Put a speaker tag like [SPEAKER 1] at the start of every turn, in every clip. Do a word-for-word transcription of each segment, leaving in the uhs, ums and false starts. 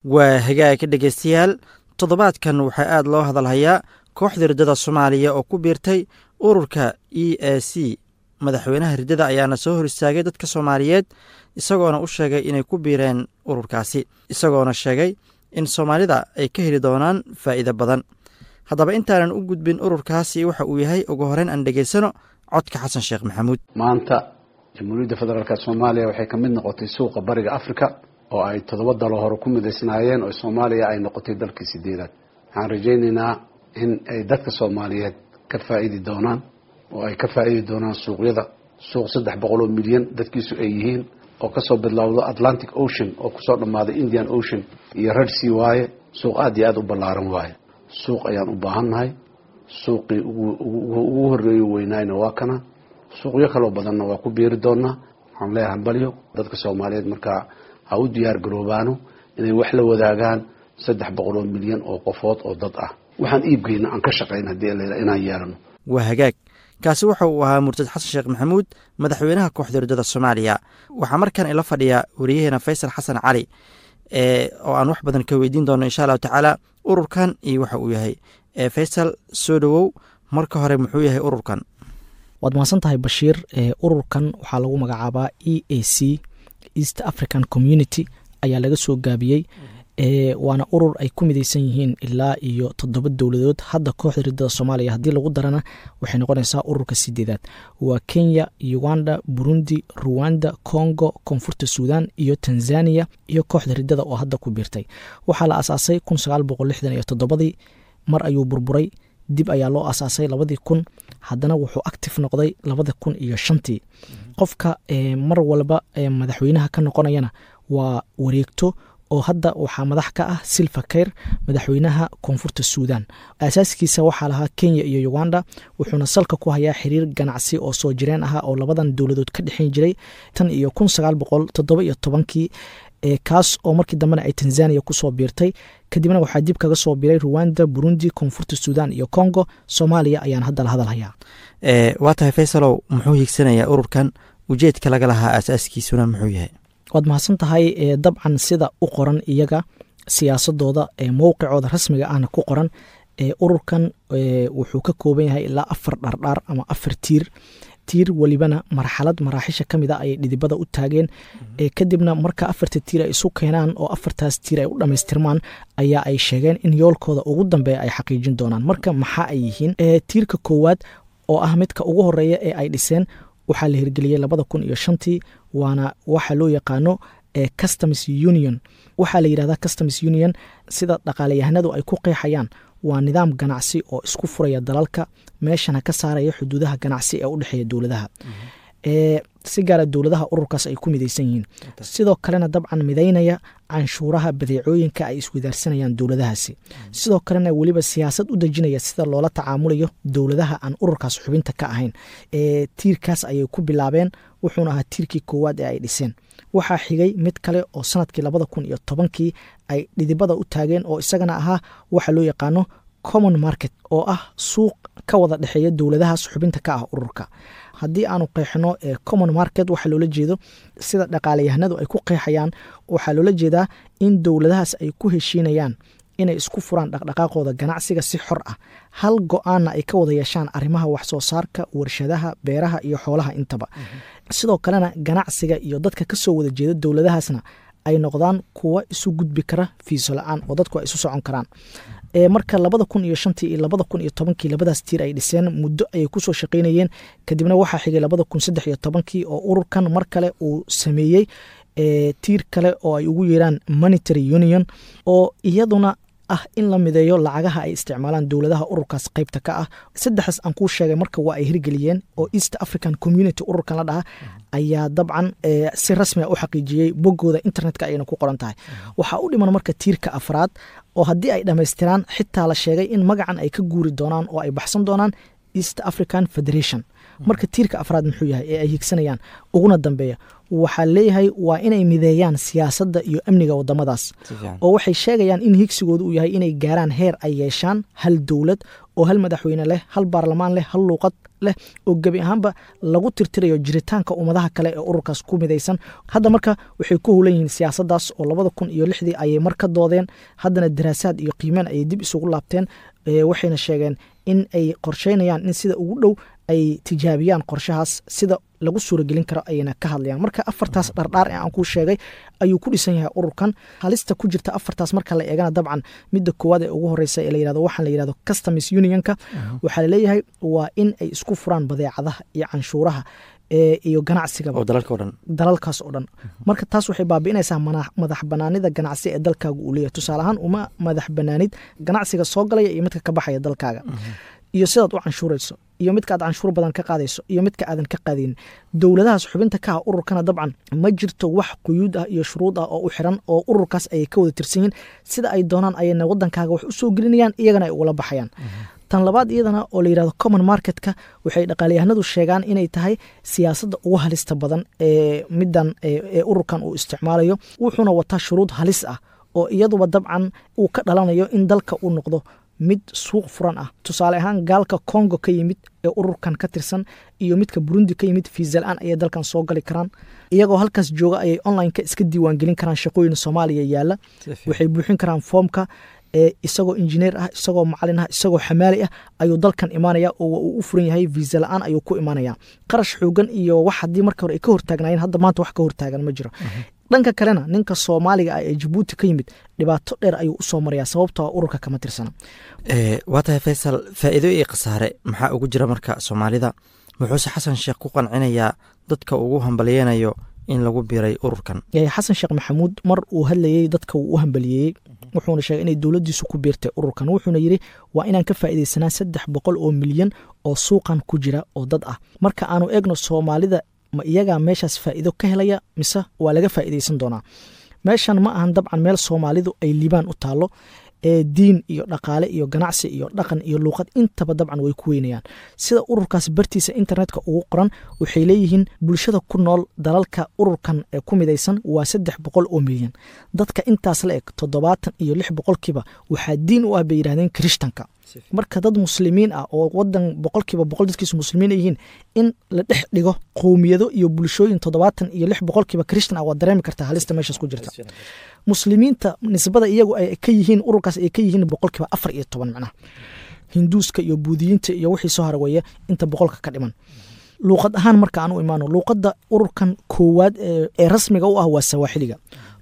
[SPEAKER 1] Waa hagaag, dhegeystayaal. Toddobaadkan waxaa aad loo hadalhayaa kooxda riddada Soomaaliya oo ku biirtay ururka E A C. Madaxweynaha riddada ayaana soo hor istaagay dadka Soomaaliyeed, isagoona u sheegay inay ku biireen ururkaasi, isagoona sheegay in Soomaalida ay ka heli doonaan faa'iido badan. Haddaba, intaanan u gudbin ururkaasi waxa uu yahay, ugu horeyn aan dhegaysano codka Xasan Sheekh Maxamuud.
[SPEAKER 2] Maanta Jamhuuriyadda Federaalka Soomaaliya waxay ka mid noqotay suuqa Bariga Africa oo ay toddoba dalo hore ku midaysnaayeen, oo Soomaaliya ay noqotay dalkii sideedaad. Waxaan rajaynaynaa in ay dadka Soomaaliyeed ka faa'iidi doonaan oo ay ka faa'iidi doonaan suuqyada, suuq saddex boqol oo milyan dadkiisu ay yihiin oo kasoo bilowdo Atlantic Ocean oo kusoo dhammaaday Indian Ocean iyo Red Sea waaye. Suuq aad iyo aad u ballaaran waaye. Suuq ayaan u baahannahay. Suuqii ugu horreeyo weynaayna waa kana, suuqyo kaloo badanna waa ku biiri doonaa. Waxaan leeyahay hambalyo dadka Soomaaliyeed. Markaa ha u diyaar garoobaano inay wax la wadaagaan saddex boqol oo milyan oo qofood oo dad ah. Waxaan iibgeyna aan ka shaqayn haddii la inaan yeelano.
[SPEAKER 1] Waa hagaag, kaasi waxa uu ahaa murtad Xasan Sheekh Maxamuud, madaxweynaha kooxda riddada Soomaaliya. Waxaa markan ila fadhiya wariyaheena Faysal Xasan Cali ee oo aan wax badan ka weydiin doono, insha Allahu tacaala, ururkan iyo waxa uu yahay. Faysal, soo dhowow. Marka hore, muxuu yahay ururkan?
[SPEAKER 3] Waad mahadsan tahay, Bashiir. Ururkan waxaa lagu magacaabaa E A C, East African Community ayaa laga soo gaabiyey, waana urur ay ku mideysan yihiin ilaa iyo toddoba dowladood. Hadda kooxda riddada Soomaaliya haddii lagu darana, waxay noqonaysaa ururka sideedaad. Waa Kenya, Uganda, Burundi, Ruwanda, Congo, Koonfurta Suudan iyo Tanzania iyo kooxda riddada oo hadda ku biirtay. Waxaa la asaasay kun sagaal boqol lixdan iyo toddobadii. Mar ayuu burburay, dib ayaa loo asaasay labadii kun, haddana wuxuu active noqday labada kun iyo shantii. Qofka mar walba madaxweynaha ka noqonayana waa wareegto, oo hadda waxaa madax ka ah Salva Kiir, madaxweynaha Koonfurta Suudan. Aasaaskiisa waxaa lahaa Kenya iyo Uganda, wuxuuna salka ku hayaa xiriir ganacsi oo soo jireen ahaa oo labadan dowladood ka dhexeyn jiray tan iyo kun sagaal boqol toddoba iyo tobankii, kaas oo markii dambena ay Tanzania kusoo biirtay. Kadibna waxaa dib kaga soo biiray Ruwanda, Burundi, Koonfurta Suudan iyo Congo. Soomaaliya ayaan hadda la hadal hayaa.
[SPEAKER 1] Waa tahay, Faysalow. Muxuu hiigsanayaa ururkan? Ujeedka laga lahaa aasaaskiisuna muxuu yahay?
[SPEAKER 3] Waad mahadsan tahay. Dabcan, sida u qoran iyaga siyaasadooda, mowqicooda rasmiga ahna ku qoran, ururkan wuxuu ka kooban yahay ilaa afar dhardhaar ama afar tiir. Tiir welibana marxalad maraaxisha ka mid a ayay dhidibada u taageen. Kadibna marka afarta tiir ay isu keenaan oo afartaas tiir ay u dhammaystirmaan ayaa ay sheegeen in yoolkooda ugu dambeeya ay xaqiijin doonaan. Marka maxaa ay yihiin? Tiirka koowaad oo ah midka ugu horeeya ee ay dhiseen waxaa la hirgeliyey labada kun iyo shantii, waana waxa loo yaqaano customs union. Waxaa la yidhahdaa customs union, sida dhaqaalayahanadu ay ku qeexayaan, waa nidaam ganacsi oo isku furaya dalalka, meeshana ka saaraya xuduudaha ganacsi ee u dhexeeya dowladaha, si gaara dowladaha ururkaas ay ku mideysan yihiin. Sidoo kalena dabcan midaynaya canshuuraha badeecooyinka ay iswadaarsanayaan dowladahaasi. Sidoo kalena weliba siyaasad u dejinaya sida loola tacaamulayo dowladaha aan ururkaas xubinta ka ahayn. Tiirkaas ayay ku bilaabeen, wuxuuna ahaa tiirkii koowaad ee ay dhiseen. Waxaa xigay mid kale oo sanadkii labada kun iyo tobankii ay dhidibada u taageen, oo isagana ahaa waxa loo yaqaano common market, oo ah suuq ka wada dhexeeya dowladahaas xubinta ka ah ururka. Haddii aanu qeexno common market waxaa loola jeedo, sida dhaqaalayahanadu ay ku qeexayaan, waxaa loola jeedaa in dowladahaas ay ku heshiinayaan inay isku furaan dhaqdhaqaaqooda ganacsiga si xor ah, hal go-aanna ay ka wada yeeshaan arrimaha wax soo saarka, warshadaha, beeraha iyo xoolaha intaba. Sidoo kalena ganacsiga iyo dadka kasoo wada jeeda dowladahaasna ay noqdaan kuwa isu gudbi kara fiiso la-aan, oo dadku ay isu socon karaan. Marka labada kun iyo shantii iyo labada kun iyo tobankii labadaas tiir ay dhiseen, muddo ayay kusoo shaqaynayeen. Kadibna waxaa xigay labada kun saddex iyo tobankii oo ururkan mar kale uu sameeyey tiir kale oo ay ugu yeeraan monetary union, oo iyaduna ah in la mideeyo lacagaha ay isticmaalaan dowladaha ururkaas qeybta ka ah. Saddexdaas aan kuu sheegay marka waa ay hirgeliyeen, oo East African Community ururkan la dhaha ayaa dabcan si rasmi a u xaqiijiyey, boggooda internetka ayayna ku qoran tahay. Waxaa u dhiman marka tiirka afraad, oo haddii ay dhammaystiraan xitaa la sheegay in magacan ay ka guuri doonaan oo ay baxsan doonaan East African Federation. Marka tiirka afraad muxuu yahay ee ay higsanayaan uguna dambeeya? Waxaa leeyahay waa inay mideeyaan siyaasadda iyo amniga wadamadaas, oo waxay sheegayaan in higsigoodu uu yahay inay gaaraan heer ay yeeshaan hal dowlad. oo hal madaxweyne leh, hal baarlamaan leh, hal luuqad leh, oo gebi ahaanba lagu tirtirayo jiritaanka ummadaha kale ee ururkaas ku midaysan. Hadda marka waxay ku hulan yihiin siyaasaddaas oo labada kun iyo lixdii ayay mar ka doodeen, haddana daraasaad iyo qiimeen ayay dib isugu laabteen, waxayna sheegeen in ay qorsheynayaan in sida ugu dhow ay tijaabiyaan qorshahaas, sida lagu suuragelin karo ayayna ka hadlayaan. Marka afartaas dhardhaar ee aan kuu sheegay ayuu ku dhisan yahay ururkan. Halista ku jirta afartaas marka la eegana, dabcan midda koowaad ee ugu horeysa ee la yirahdo, waxaan la yirahdo customs unionka, waxaa laleeyahay waa in ay isku furaan badeecadaha iyo canshuuraha iyo ganacsigaba
[SPEAKER 1] oo dalalka o dhan,
[SPEAKER 3] dalalkaas oo dhan. Marka taas waxay baabi'inaysaa madax banaanida ganacsi ee dalkaaga uu leeyahay. Tusaale ahaan, uma madax banaanid ganacsiga soo galaya iyo midka ka baxaya dalkaaga, iyo sidaad u canshuurayso, iyo midka aad canshuur badan ka qaadayso iyo midka aadan ka qaadaynin. Dowladahaas xubinta ka ah ururkana dabcan ma jirto wax quyuud ah iyo shuruud ah oo u xiran, oo ururkaas ayay ka wada tirsan yihiin. Sida ay doonaan ayayna wadankaaga wax u soo gelinayaan, iyagana ay ugala baxayaan. Tan labaad iyadana oo la yirahdo common marketka, waxay dhaqaalayahanadu sheegaan inay tahay siyaasadda ugu halista badan ee midan ee ururkan uu isticmaalayo, wuxuuna wataa shuruud halis ah oo iyaduba dabcan uu ka dhalanayo in dalka uu noqdo mid suuq furan ah. Tusaale ahaan, gaalka Congo ka yimid ee ururkan ka tirsan iyo midka Burundi ka yimid fiisa la-aan ayay dalkan soo gali karaan. Iyagoo halkaas jooga ayay online-ka iska diiwaangelin karaan shaqooyin Soomaaliya yaalla, waxay buuxin karaan foomka. Isagoo injineer ah, isagoo macalin ah, isagoo xamaali ah ayuu dalkan imaanaya oo uu u furan yahay, fiisa la-aan ayuu ku imaanaya. Qarash xoogan iyo wax haddii marka hore ay ka hortaagnaayeen, hadda maanta wax ka hortaagan ma jiro. Dhanka kalena, ninka Soomaaliga ah ee Jabuuti ka yimid dhibaato dheer ayuu usoo marayaa, sababtoo ururka kama tirsana.
[SPEAKER 1] Waa tahay Faysal, faa'iido iyo khasaare maxaa ugu jira marka Soomaalida? Muxuuse Xasan Sheekh ku qancinayaa dadka ugu hambalyeynayo in lagu biray ururkan?
[SPEAKER 3] Xasan Sheekh Maxamuud mar uu hadlayey dadka wuu u hambaliyeeyey, wuxuuna sheegay inay dowladdiisu ku biirtay ururkan. Wuxuuna yidhi waa inaan ka faa'iidaysanaa saddex boqol oo milyan oo suuqan ku jira oo dad ah. Marka aanu eegno Soomaalida, ma iyagaa meeshaas faa'iido ka helaya mise waa laga faa'iidaysan doonaa? Meeshan ma ahan dabcan meel Soomaalidu ay liibaan u taallo ee diin iyo dhaqaale iyo ganacsi iyo dhaqan iyo luuqad intaba dabcan way ku weynayaan. Sida ururkaas bartiisa internetka ugu qoran, waxay leeyihiin bulshada ku nool dalalka ururkan ee ku midaysan waa saddex boqol oo milyan. Dadka intaas la eg toddobaatan iyo lix boqolkiiba waxaa diin u ah, bay yidhahdeen, Kirishtanka. Marka dad Muslimiin ah oo wadan boqolkiiba boqol dadkiisu Muslimiin ay yihiin in la dhex dhigo qowmiyado iyo bulshooyin toddobaatan iyo lix boqolkiiba Kirishtan ah, waad dareemi kartaa halista meeshaas ku jirta. Muslimiinta nisbada iyagu ay ka yihiin ururkaas ay ka yihiin boqolkiiba afar iyo toban, macnaha Hinduuska iyo Buudiyiinta iyo wixii soo hara weeye inta boqolka ka dhiman. Luuqad ahaan marka aan u imaano, luuqadda ururkan koowaad ee rasmiga u ah waa Sawaaxiliga.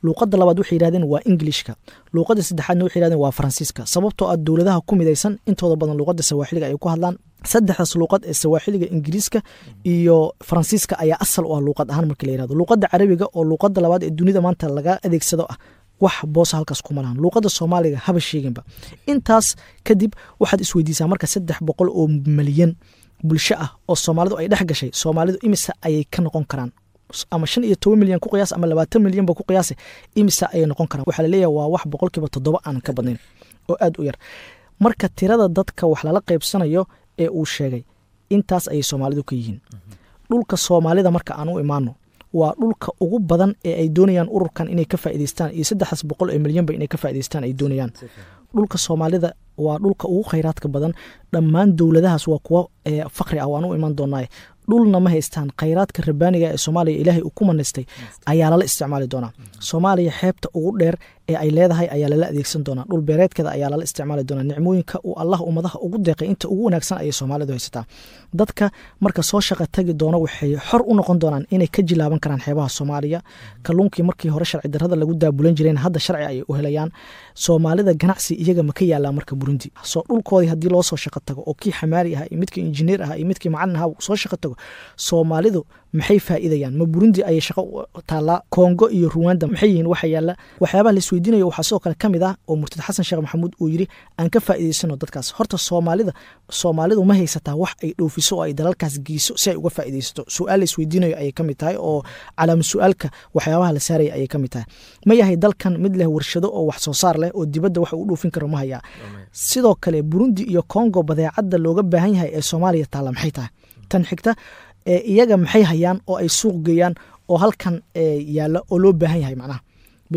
[SPEAKER 3] Luuqadda labaad waxay yidhahdeen waa Englishka. Luuqadda saddexaadna waxay yidhahdeen waa Faransiiska, sababtoo ah dowladaha ku midaysan intooda badan luuqadda Sawaaxiliga ay ku hadlaan. Saddexdaas luuqad ee Sawaaxiliga, Ingiriiska iyo Faransiiska ayaa asal u ah luuqad ahaan marka la yirahdo. Luuqadda Carabiga oo luuqadda labaad ee dunida maanta laga adeegsado ah wax boosa halkaas kuma lahan. Luuqadda Soomaaliga haba sheeginba. Intaas kadib waxaad isweydiisaa marka, saddex boqol oo malyan bulsho ah oo Soomaalidu ay dhex gashay, Soomaalidu imise ayay ka noqon karaan? Ama shan iyo toban milyan ku qiyaas ama labaatan milyan ba ku qiyaasa, imise ayay noqon karaan? Waxaa laleeyahay waa wax boqolkiiba toddoba aanan ka badnayn oo aad u yar. Marka tirada dadka wax lala qaybsanayo ee uu sheegay intaas ayay Soomaalidu ka yihiin. Dhulka Soomaalida marka aan u imaano, waa dhulka ugu badan ee ay doonayaan ururkan inay ka faa'idaystaan iyo saddexdaas boqol ee milyanba inay ka faa'idaystaan ay doonayaan. Dhulka Soomaalida waa dhulka ugu khayraadka badan. Dhammaan dowladahaas waa kuwo faqri ah, waan u iman doonaa, dhulna ma haystaan. Khayraadka rabbaaniga ee Soomaaliya Ilaahay uu ku manaystay ayaa lala isticmaali doonaa. Soomaaliya xeebta ugu dheer ee ay leedahay ayaa lala adeegsan doonaa. Dhul beereedkeeda ayaa lala isticmaali doonaa. Nicmooyinka uu Allah ummadaha ugu deeqay inta ugu wanaagsan ayay Soomaalidu haysataa. Dadka marka soo shaqa tagi doono waxay xor u noqon doonaan inay ka jilaaban karaan xeebaha Soomaaliya. Kalluunkii markii hore sharci darrada lagu daabulan jireen hadda sharci ayay u helayaan. Soomaalida ganacsi iyaga ma ka yaalaa marka Burundi? Soo dhulkoodii haddii loo soo shaqo tago oo kii xamaali ahaa iyo midkii injineer ahaa iyo midkii macalin ahaa soo shaqo tago, Soomaalidu maxay faa'iidayaan? Ma Burundi ayay shaqo taallaa? Kongo iyo Ruwanda maxay yihiin waxa yaalla? Waxyaabaha la isweydiinayo waxaa sidoo kale ka mid ah oo murtad Xasan Sheekh Maxamuud uu yidhi aan ka faa'iidaysano dadkaas. Horta Soomaalida, Soomaalidu ma haysataa wax ay dhoofiso oo ay dalalkaas geyso si ay uga faa'iidaysato? Su-aal la isweydiinayo ayay ka mid tahay oo calaama su-aalka waxyaabaha la saaraya ayay ka mid tahay. Ma yahay dalkan mid leh warshado oo wax soo saar leh oo dibadda wax uu dhoofin karo? Ma hayaa? Sidoo kale Burundi iyo Congo badeecadda looga baahan yahay ee Soomaaliya taalla maxay tahay? Tan xigta, iyaga maxay hayaan oo ay suuq geeyaan oo halkan yaalla oo loo baahan yahay? Macnaha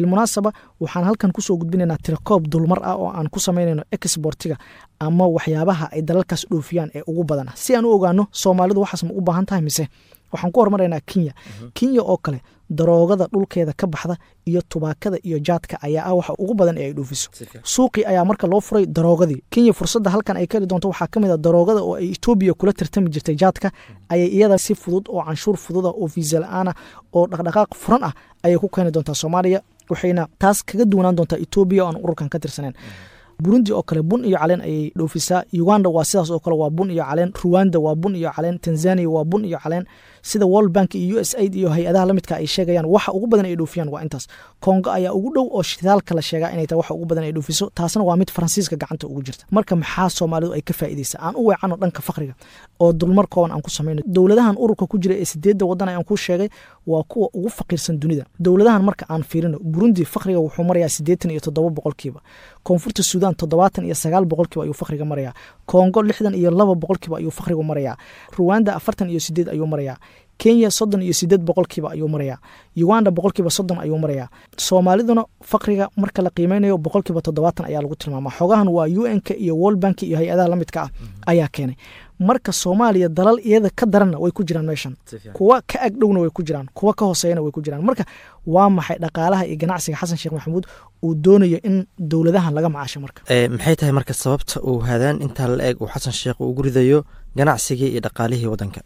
[SPEAKER 3] Bilmunaasaba waxaan halkan kusoo gudbinaynaa tirakoob dulmar ah oo aan ku samaynayno exportiga ama waxyaabaha ay dalalkaas dhoofiyaan ee ugu badan, si aan u ogaano Soomaalidu waxaas ma u baahan tahay mise. Waxaan ku hormaraynaa Kenya. Kenya oo kale daroogada dhulkeeda ka baxda iyo tubaakada iyo jaadka ayaa ah waxa ugu badan ee ay dhoofiso. Suuqii ayaa marka loo furay daroogadii. Kenya fursadda halkan ay ka heli doonto waxaa ka mid ah daroogada oo ay Etoobiya kula tartami jirtay jaadka, ayay iyada si fudud oo canshuur fududa oo fiisa la-aan ah oo dhaqdhaqaaq furan ah ayay ku keeni doontaa Soomaaliya, waxayna taas kaga duwanaan doontaa Etoobiya oo aan ururkan ka tirsaneyn. Burundi oo kale bun iyo caleen ayay dhoofisaa. Uganda waa sidaas oo kale, waa bun iyo caleen. Ruwanda waa bun iyo caleen. Tanzania waa bun iyo caleen. Sida World Bank iyo U S Aid iyo hay-adaha la midka ay sheegayaan, waxa ugu badan ay dhoofiyaan waa intaas. Kongo ayaa ugu dhow oo shidaalka la sheegaa inay tahay waxa ugu badan ay dhoofiso, taasna waa mid Faransiiska gacanta ugu jirta. Marka maxaa Soomaalidu ay ka faa'iideysaa? Aan u weecano dhanka faqriga oo dulmar kooban aan ku samayno. Dowladahan ururka ku jira ee sideedda waddan aan ku sheegay waa kuwa ugu faqiirsan dunida. Dowladahan marka aan fiirino, Burundi faqriga wuxuu marayaa siddeetan iyo toddoba boqolkiiba, Koonfurta Suudaan toddobaatan iyo sagaal boqolkiiba ayuu faqriga marayaa, Kongo lixdan iyo laba boqolkiiba ayuu faqrigu marayaa, Ruwanda afartan iyo sideed ayuu marayaa, Kenya soddon iyo sideed boqolkiiba ayuu marayaa, Uganda boqolkiiba soddon ayuu marayaa. Soomaaliduna faqriga marka la qiimeynayo boqolkiiba toddobaatan ayaa lagu tilmaamaa. Xogahan waa U N-ka iyo World Bank iyo hay-adaha la midka ah ayaa keenay. Marka Soomaaliya dalal iyada ka daranna way ku jiraan meeshan, kuwa ka agdhowna way ku jiraan, kuwa ka hooseeyana way ku jiraan. Marka waa maxay dhaqaalaha iyo ganacsiga Xasan Sheekh Maxamuud uu doonayo in dowladahan laga macaasho? Marka
[SPEAKER 1] maxay tahay marka sababta uu haadaan intaa la eeg uu Xasan Sheekh ugu ridayo ganacsigii iyo dhaqaalihii waddanka?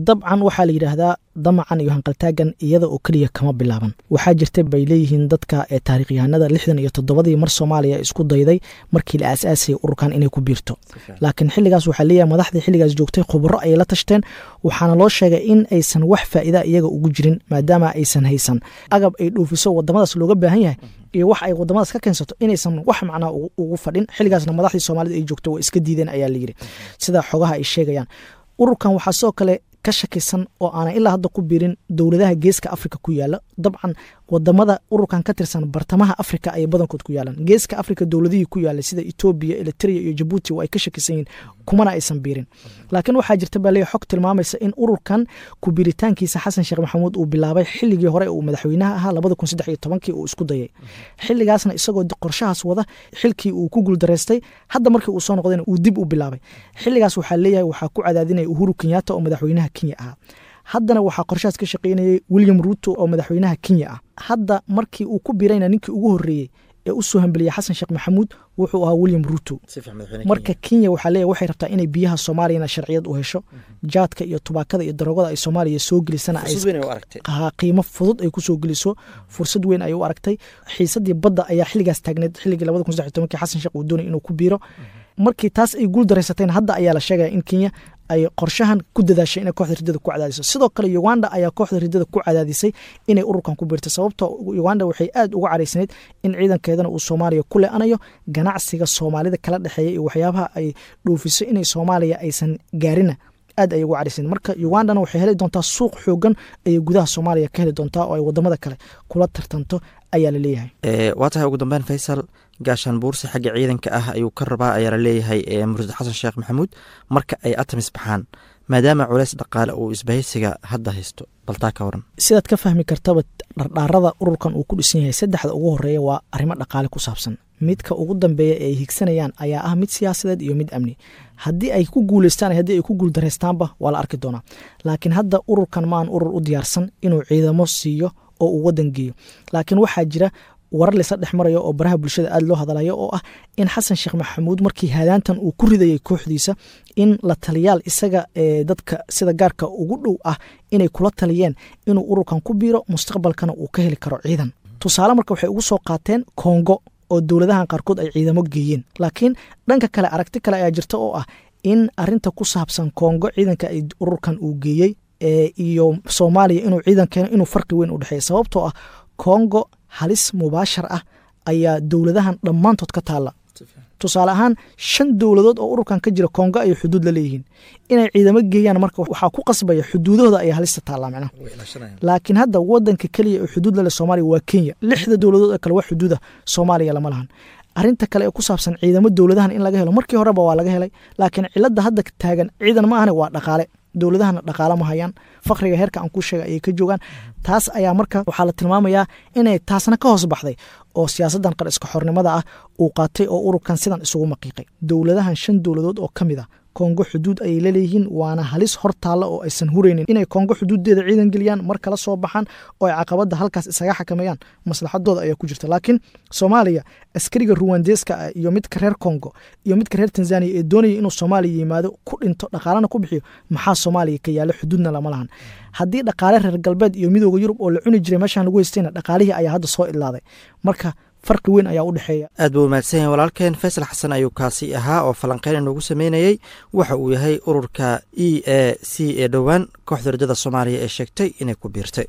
[SPEAKER 3] Dabcan waxaa la yidhaahdaa damacan iyo hanqaltaagan iyada oo keliya kama bilaaban. Waxaa jirta bay leeyihiin dadka ee taariikhyahanada lixdan iyo toddobadii mar Soomaaliya isku dayday markii la aasaasayay ururkan inay ku biirto, laakiin xilligaas waxaa leeyahay madaxdii xilligaas joogtay khubaro ayay la tashteen, waxaana loo sheegay in aysan wax faa'iida iyaga ugu jirin maadaama aysan haysan agab ay dhoofiso wadamadaas looga baahan yahay iyo wax ay wadamadaas ka keensato inaysan wax macnaa ugu fadhin. Xilligaasna madaxdii Soomaalida ay joogto way iska diideen ayaa la yidhi, sida xogaha ay sheegayaan. Ururkan waxaa sidoo kale ka shakisan oo aanan ilaa hadda ku biirin dowladaha geeska Afrika ku yaala. Dabcan wadamada ururkan ka tirsan bartamaha Afrika ayay badankood ku yaalaan. Geeska Afrika dowladihii ku yaalay sida Etoobiya, Eritrea iyo Jabuuti waa ay ka shakisan yihiin, kumana aysan biirin. Laakiin waxaa jirta baa leeyahay xog tilmaamaysa in ururkan ku biiritaankiisa Xasan Sheekh Maxamuud uu bilaabay xilligii hore uu madaxweynaha ahaa labada kun saddex iyo tobankii uu isku dayay. Xilligaasna isagoo qorshahaas wada xilkii uu ku guuldareystay, hadda markii uu soo noqdayna uu dib u bilaabay. Xilligaas waxaa leeyahay waxaa ku cadaadinaya Uhuru Kenyatta oo madaxweynaha Kenya ahaa. Haddana waxaa qorshahaas ka shaqeynayay William Ruto oo madaxweynaha Kenya ah. Hadda markii uu ku biirayna ninkii ugu horreeyey ee u soo hambeliyay Xasan Sheekh Maxamuud wuxuu ahaa William Ruto. Marka Kenya waxaa leeyahay waxay rabtaa inay biyaha Soomaaliyana sharciyad u hesho, jaadka iyo tubaakada iyo daroogada ay Soomaaliya soo gelisana ay qiimo fudud ay ku soo geliso, fursad weyn ay u aragtay. Xiisadii badda ayaa xilligaas taagneed, xilligii labada kun saddex iyo tobankii Xasan Sheekh uu doonayay inuu ku biiro. Markii taas ay guul daraysateen hadda ayaa la sheegaya in Kenya ay qorshahan ku dadaashay inay kooxda riddada ku cadaadiso. Sidoo kale Uganda ayaa kooxda riddada ku cadaadisay inay ururkan ku biirto, sababtoo Uganda waxay aad uga caraysnayd in ciidankeedana uu Soomaaliya ku le'anayo, ganacsiga Soomaalida kala dhexeeya iyo waxyaabaha ay dhoofiso inay Soomaaliya aysan gaarina aad ay uga caraysnayd. Marka Ugandana waxay heli doontaa suuq xoogan ayay gudaha Soomaaliya ka heli doontaa oo ay wadamada kale kula tartanto ayaa la leeyahay.
[SPEAKER 1] Waa tahay ugu dambeyn Faysal, gaashaan buursi xagga ciidanka ah ayuu ka rabaa ayaa la leeyahay murtad Xasan Sheekh Maxamuud marka ay atamis baxaan, maadaama culays dhaqaale uu isbahaysiga hadda haysto. Bal taa ka waran.
[SPEAKER 3] Sidaad ka fahmi kartaba dhardhaarada ururkan uu ku dhisan yahay saddexda ugu horreeya waa arrimo dhaqaale ku saabsan. Midka ugu dambeeya ee ay higsanayaan ayaa ah mid siyaasadeed iyo mid amni. Haddii ay ku guuleystaan haddii ay ku guuldareystaanba waa la arki doonaa. Laakiin hadda ururkan ma aan urur u diyaarsan inuu ciidamo siiyo oo uu waddan geeyo. Laakiin waxaa jira warar laysa dhex marayo oo baraha bulshada aad loo hadalayo oo ah in Xasan Sheekh Maxamuud markii haadaantan uu ku ridayay kooxdiisa in la taliyaal isaga ee dadka sida gaarka ugu dhow ah inay kula taliyeen inuu ururkan ku biiro, mustaqbalkana uu ka heli karo ciidan. Tusaale marka waxay ugu soo qaateen Kongo oo dowladahan qaarkood ay ciidamo geeyeen. Laakiin dhanka kale aragti kale ayaa jirta oo ah in arrinta ku saabsan Kongo ciidanka ay ururkan uu geeyey iyo Soomaaliya inuu ciidan keeno inuu farqi weyn u dhexeeyo, sababtoo ah Kongo halis mubaashar ah ayaa dowladahan dhammaantood ka taalla. Tusaale ahaan shan dowladood oo ururkan ka jira Kongo ay xuduud la leeyihiin, inay ciidamo geeyaan marka waxaa ku qasbaya xuduudahooda ayaa halista taallaa macnaha. Laakiin hadda wadanka keliya ee xuduud la leh Soomaaliya waa Kenya, lixda dowladood ee kale wax xuduuda Soomaaliya lama lahan. Arrinta kale ee ku saabsan ciidamo dowladahan in laga helo markii horeba waa laga helay, laakiin cilada hadda taagan ciidan ma ahane waa dhaqaale. Dowladahana dhaqaale ma hayaan, fakriga heerka aan ku sheegay ayay ka joogaan. Taas ayaa marka waxaa la tilmaamayaa inay taasna ka hoos baxday oo siyaasaddan qar iska xornimada ah uu qaatay oo ururkan sidan isugu maqiiqay. Dowladahan shan dowladood oo ka mid ah Kongo xuduud ayay laleeyihiin, waana halis hor taalla oo aysan huraynin inay Kongo xuduuddeeda ciidan geliyaan, mar kala soo baxaan oo ay caqabadda halkaas isaga xakameeyaan, maslaxadooda ayaa ku jirta. Laakiin Soomaaliya askariga Ruwandeeska ah iyo midka reer Kongo iyo midka reer Tanzania ee doonaya inuu Soomaaliya yimaado, ku dhinto, dhaqaalana ku bixiyo, maxaa Soomaaliya ka yaala? Xuduudna lama lahan. Haddii dhaqaale reer galbeed iyo midooda Yurub oo la cuni jiray meeshaan lagu haystayna, dhaqaalihii ayaa hadda soo idlaaday. Marka farqi weyn ayaa u dhexeeya.
[SPEAKER 1] Aad buu umahadsan yahay walaalkeen Faysal Xasan ayuu kaasi ahaa oo falanqeyn inoogu sameynayey waxa uu yahay ururka E A C ee dhowaan kooxda rajada Soomaaliya ee sheegtay inay ku biirtay.